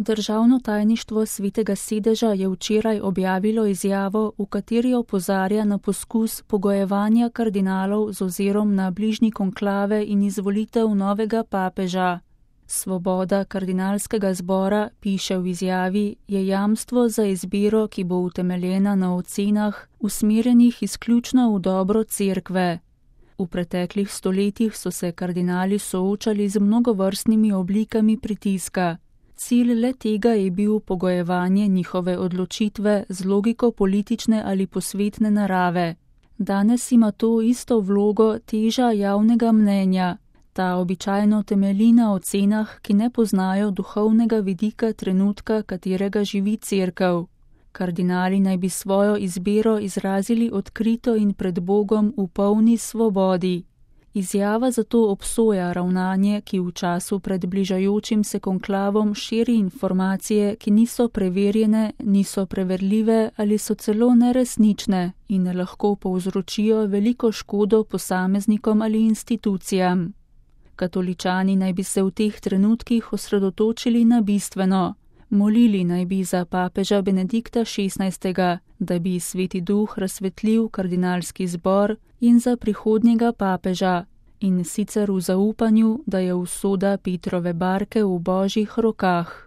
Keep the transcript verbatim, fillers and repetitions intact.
Državno tajništvo Svetega sedeža je včeraj objavilo izjavo, v kateri opozarja na poskus pogojevanja kardinalov z ozirom na bližnji konklave in izvolitev novega papeža. Svoboda kardinalskega zbora, piše v izjavi, je jamstvo za izbiro, ki bo utemeljena na ocenah, usmerjenih izključno v dobro cerkve. V preteklih stoletjih so se kardinali soočali z mnogovrstnimi oblikami pritiska. Cilj le tega je bil pogojevanje njihove odločitve z logiko politične ali posvetne narave. Danes ima to isto vlogo teža javnega mnenja. Ta običajno temelji na ocenah, ki ne poznajo duhovnega vidika trenutka, katerega živi cerkev. Kardinali naj bi svojo izbiro izrazili odkrito in pred Bogom v polni svobodi. Izjava zato obsoja ravnanje, ki v času pred bližajočim se konklavom širi informacije, ki niso preverjene, niso preverljive ali so celo neresnične in lahko povzročijo veliko škodo posameznikom ali institucijam. Katoličani naj bi se v teh trenutkih osredotočili na bistveno. Molili naj bi za papeža Benedikta šestnajstega, da bi Sveti Duh razsvetlil kardinalski zbor in za prihodnjega papeža, in sicer v zaupanju, da je usoda Petrove barke v Božjih rokah.